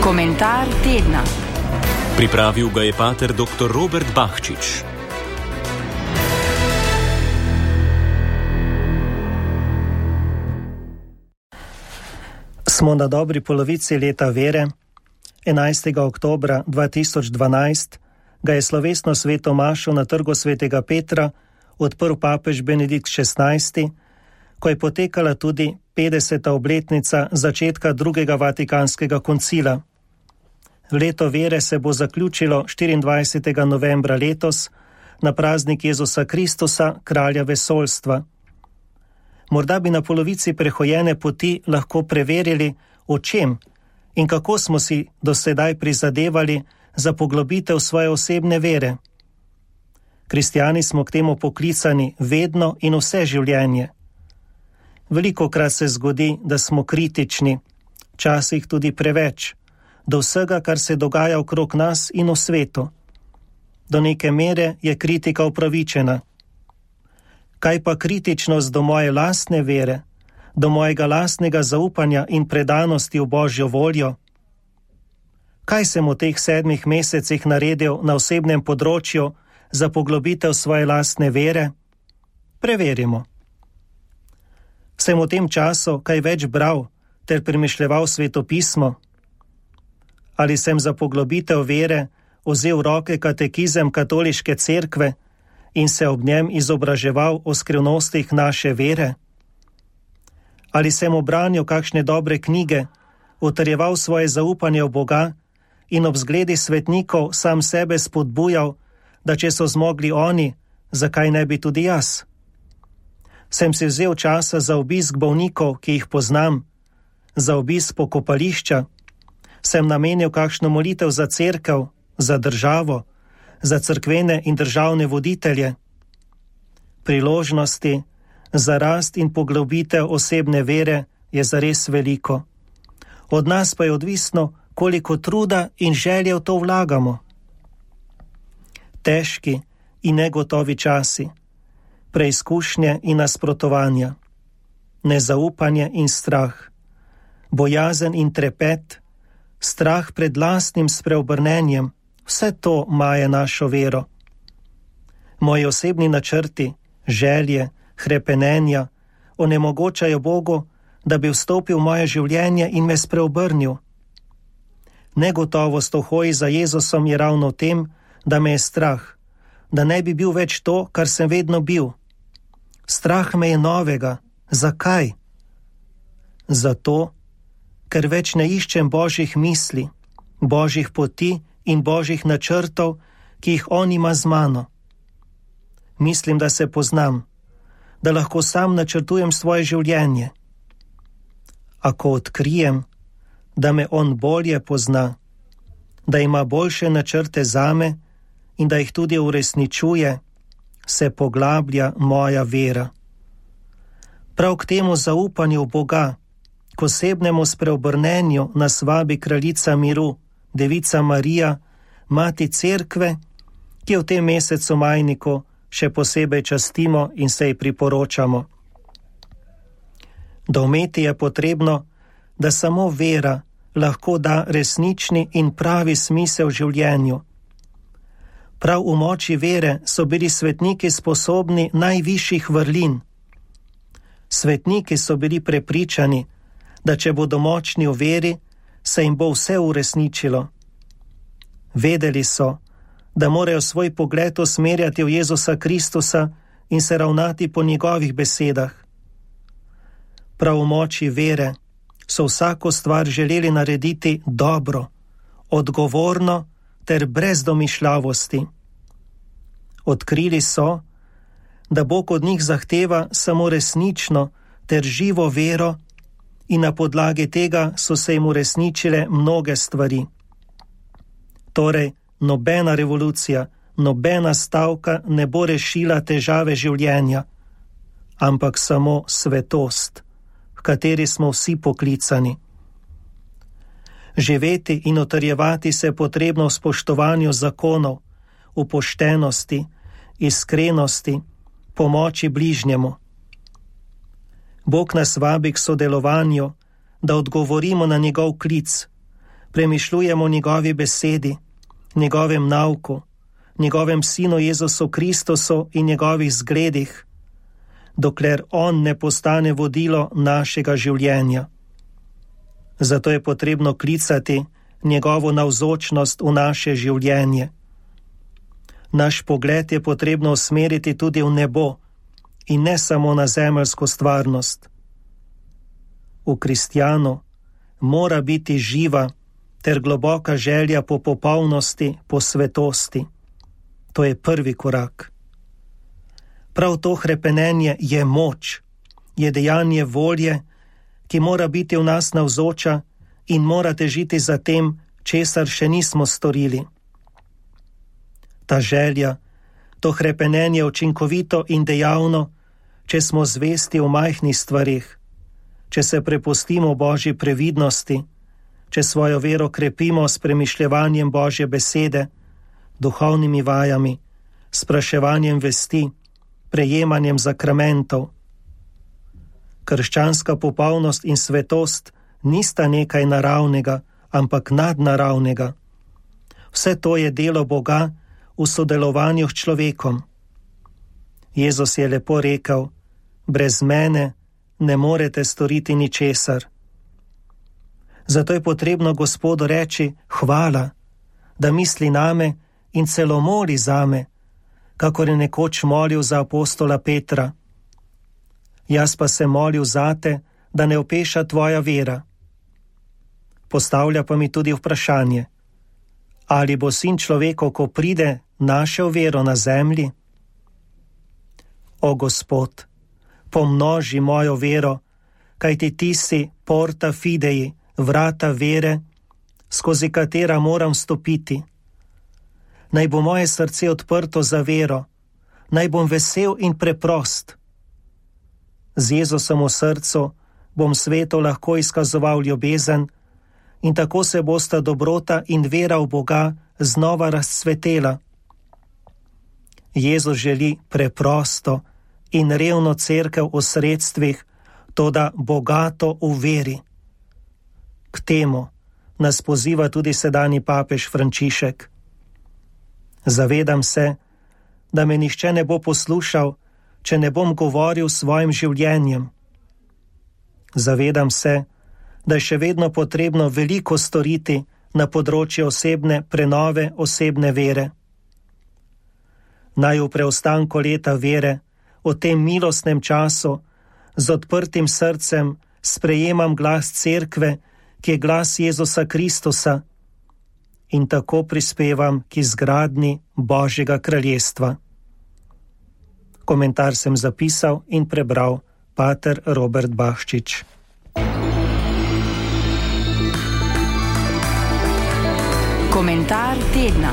Komentar tedna. Pripravil ga je pater dr. Robert Bahčič. Smo na dobri polovici leta vere. 11. oktobra 2012 ga je slovesno sveto mašo na Trgu svetega Petra odprl papež Benedikt XVI, ko je potekala tudi 50. obletnica začetka drugega vatikanskega koncila. Leto vere se bo zaključilo 24. novembra letos na praznik Jezusa Kristusa, kralja vesoljstva. Morda bi na polovici prehojene poti lahko preverili, o čem in kako smo si do sedaj prizadevali za poglobitev svoje osebne vere. Kristjani smo k temu poklicani vedno in vse življenje. Velikokrat se zgodi, da smo kritični, včasih tudi preveč, do vsega, kar se dogaja okrog nas in v svetu. Do neke mere je kritika upravičena. Kaj pa kritičnost do moje lastne vere, do mojega lastnega zaupanja in predanosti v Božjo voljo? Kaj sem v teh 7 mesecih naredil na osebnem področju za poglobitev svoje lastne vere? Preverimo. Sem v tem času kaj več bral ter premišljeval svetopismo? Ali sem za poglobitev vere vzel v roke katekizem katoliške cerkve in se ob njem izobraževal o skrivnostih naše vere? Ali sem obranil kakšne dobre knjige, utrjeval svoje zaupanje v Boga in ob zgledi svetnikov sam sebe spodbujal, da če so zmogli oni, zakaj ne bi tudi jaz? Sem si vzel časa za obisk bolnikov, ki jih poznam, za obisk pokopališča? Sem namenil kakšno molitev za cerkev, za državo, za cerkvene in državne voditelje? Priložnosti za rast in poglobitev osebne vere je zares veliko. Od nas pa je odvisno, koliko truda in želje v to vlagamo. Težki in negotovi časi, preizkušnje in nasprotovanja, nezaupanje in strah, bojazen in trepet, strah pred lastnim spreobrnenjem, vse to maje našo vero. Moji osebni načrti, želje, hrepenenja onemogočajo Bogu, da bi vstopil v moje življenje in me spreobrnil. Negotovost v hoji za Jezusom je ravno v tem, da me je strah, da ne bi bil več to, kar sem vedno bil. Strah me je novega. Zakaj? Zato, ker več ne iščem Božjih misli, Božjih poti in Božjih načrtov, ki jih on ima z mano. Mislim, da se poznam, da lahko sam načrtujem svoje življenje. A ko odkrijem, da me on bolje pozna, da ima boljše načrte zame in da jih tudi uresničuje, se poglablja moja vera. Prav k temu zaupanju v Boga, k osebnemu spreobrnenju nas vabi kraljica miru, Devica Marija, mati cerkve, ki v tem mesecu majniku še posebej častimo in se ji priporočamo. Doumeti je potrebno, da samo vera lahko da resnični in pravi smisel življenju. Prav v moči vere so bili svetniki sposobni najvišjih vrlin. Svetniki so bili prepričani, da če bodo močni v veri, se jim bo vse uresničilo. Vedeli so, da morajo svoj pogled usmerjati v Jezusa Kristusa in se ravnati po njegovih besedah. Prav v moči vere so vsako stvar želeli narediti dobro, odgovorno ter brez domišljavosti. Odkrili so, da Bog od njih zahteva samo resnično ter živo vero in na podlagi tega so se jim uresničile mnoge stvari. Torej, nobena revolucija, nobena stavka ne bo rešila težave življenja, ampak samo svetost, v kateri smo vsi poklicani. Živeti in utrjevati se je potrebno v spoštovanju zakonov, v poštenosti, iskrenosti, pomoči bližnjemu. Bog nas vabi k sodelovanju, da odgovorimo na njegov klic, premišljujemo o njegovi besedi, njegovem nauku, njegovem sinu Jezusu Kristusu in njegovih zgledih, dokler on ne postane vodilo našega življenja. Zato je potrebno klicati njegovo navzočnost v naše življenje. Naš pogled je potrebno usmeriti tudi v nebo in ne samo na zemeljsko stvarnost. V kristjanu mora biti živa ter globoka želja po popolnosti, po svetosti. To je prvi korak. Prav to hrepenenje je moč, je dejanje volje, ki mora biti v nas navzoča in mora težiti za tem, česar še nismo storili. Ta želja, to hrepenenje je učinkovito in dejavno, če smo zvesti v majhnih stvarih, če se prepustimo Božji previdnosti, če svojo vero krepimo s premišljevanjem Božje besede, duhovnimi vajami, spraševanjem vesti, prejemanjem zakramentov. Krščanska popolnost in svetost nista nekaj naravnega, ampak nadnaravnega. Vse to je delo Boga v sodelovanju s človekom. Jezus je lepo rekel: brez mene ne morete storiti ničesar. Zato je potrebno Gospodu reči hvala, da misli name in celo moli zame, kakor je nekoč molil za apostola Petra. Jaz pa se molil zate, da ne opeša tvoja vera. Postavlja pa mi tudi vprašanje: ali bo Sin človekov, ko pride, našel vero na zemlji? O Gospod, pomnoži mojo vero, kajti ti si porta fidei, vrata vere, skozi katera moram stopiti. Naj bo moje srce odprto za vero, naj bom vesel in preprost. Z Jezusom v srcu bom svetu lahko izkazoval ljubezen in tako se bosta dobrota in vera v Boga znova razcvetela. Jezus želi preprosto in revno cerkev v sredstvih, toda bogato v veri. K temu nas poziva tudi sedanji papež Frančišek. Zavedam se, da me nihče ne bo poslušal, če ne bom govoril svojim življenjem. Zavedam se, da je še vedno potrebno veliko storiti na področju osebne prenove, osebne vere. Naj v preostanku leta vere, v tem milostnem času, z odprtim srcem sprejemam glas cerkve, ki je glas Jezusa Kristusa, in tako prispevam k izgradnji Božjega kraljestva. Komentar sem zapisal in prebral pater Robert Bahčič. Komentar tedna.